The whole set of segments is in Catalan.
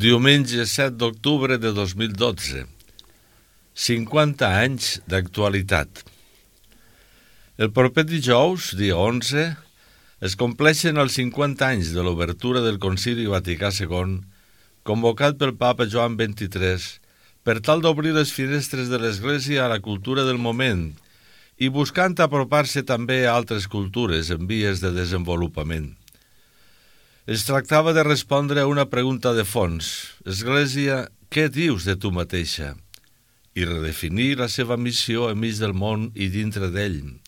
Diumenge 7 d'octubre de 2012. 50 anys d'actualitat. El proper dijous, dia 11, es compleixen els 50 anys de l'obertura del Concili Vaticà II, convocat pel papa Joan XXIII, per tal d'obrir les finestres de l'Església a la cultura del moment i buscant apropar-se també a altres cultures en vies de desenvolupament. Es tractava de respondre a una pregunta de fons: Església, què dius de tu mateixa? I redefinir la seva missió enmig del món i dintre d'ell.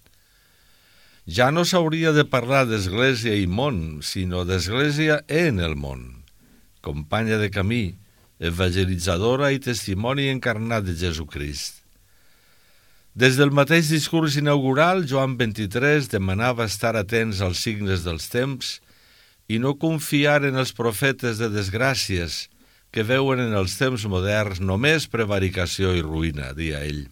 Ja no s'hauria de parlar d'Església i món, sinó d'Església en el món, companya de camí, evangelitzadora i testimoni encarnat de Jesucrist. Des del mateix discurs inaugural, Joan XXIII demanava estar atents als signes dels temps i no confiar en els profetes de desgràcies que veuen en els temps moderns només prevaricació i ruïna, deia ell.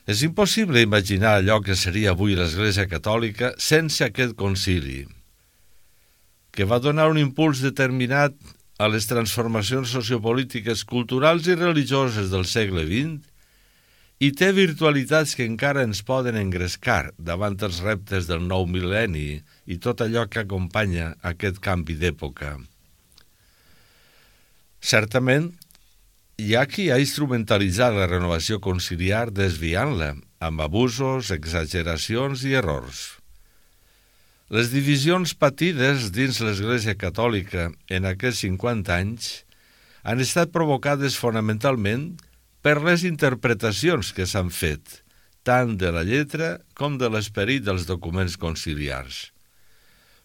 És impossible imaginar allò que seria avui l'Església Catòlica sense aquest concili, que va donar un impuls determinat a les transformacions sociopolítiques, culturals i religioses del segle XX i té virtualitats que encara ens poden engrescar davant els reptes del nou mil·lenni i tot allò que acompanya aquest canvi d'època. Certament, hi ha qui ha instrumentalitzat la renovació conciliar desviant-la amb abusos, exageracions i errors. Les divisions patides dins l'Església Catòlica en aquests 50 anys han estat provocades fonamentalment per les interpretacions que s'han fet, tant de la lletra com de l'esperit dels documents conciliars.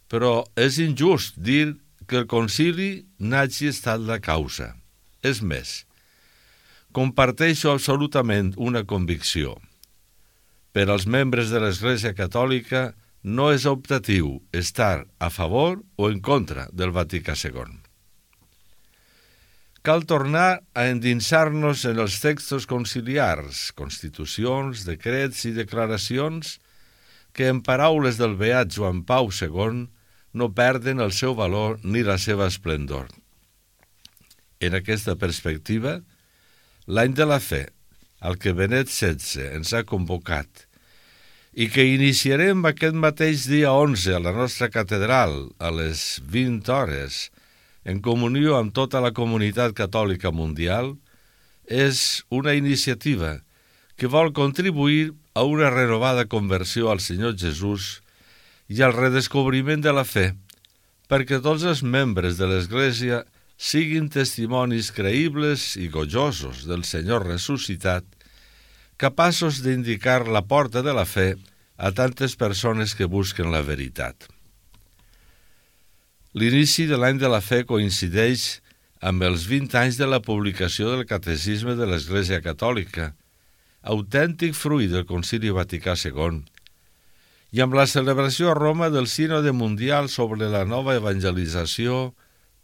Però és injust dir que el concili n'hagi estat la causa. És més, comparteixo absolutament una convicció. Per als membres de l'Església Catòlica no és optatiu estar a favor o en contra del Vaticà II. Cal tornar a endinsar-nos en els textos conciliars, constitucions, decrets i declaracions que, en paraules del beat Joan Pau II, no perden el seu valor ni la seva esplendor. En aquesta perspectiva, l'any de la fe, al que Benet XVI ens ha convocat i que iniciarem aquest mateix dia 11 a la nostra catedral a les 20 hores, en comunió amb tota la comunitat catòlica mundial, és una iniciativa que vol contribuir a una renovada conversió al Senyor Jesús i al redescobriment de la fe, perquè tots els membres de l'Església siguin testimonis creïbles i gojosos del Senyor ressuscitat, capaços d'indicar la porta de la fe a tantes persones que busquen la veritat. L'inici de l'any de la fe coincideix amb els 20 anys de la publicació del Catecisme de l'Església Catòlica, autèntic fruit del Concili Vaticà II, i amb la celebració a Roma del Sínode Mundial sobre la nova evangelització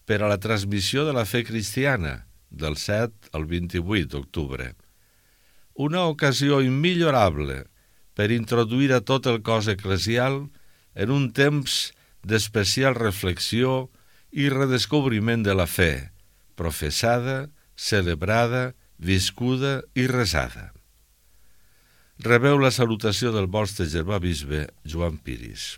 per a la transmissió de la fe cristiana, del 7 al 28 d'octubre. Una ocasió immillorable per introduir a tot el cos eclesial en un temps d'especial reflexió i redescobriment de la fe, professada, celebrada, viscuda i resada. Rebeu la salutació del vostre germà bisbe Joan Piris.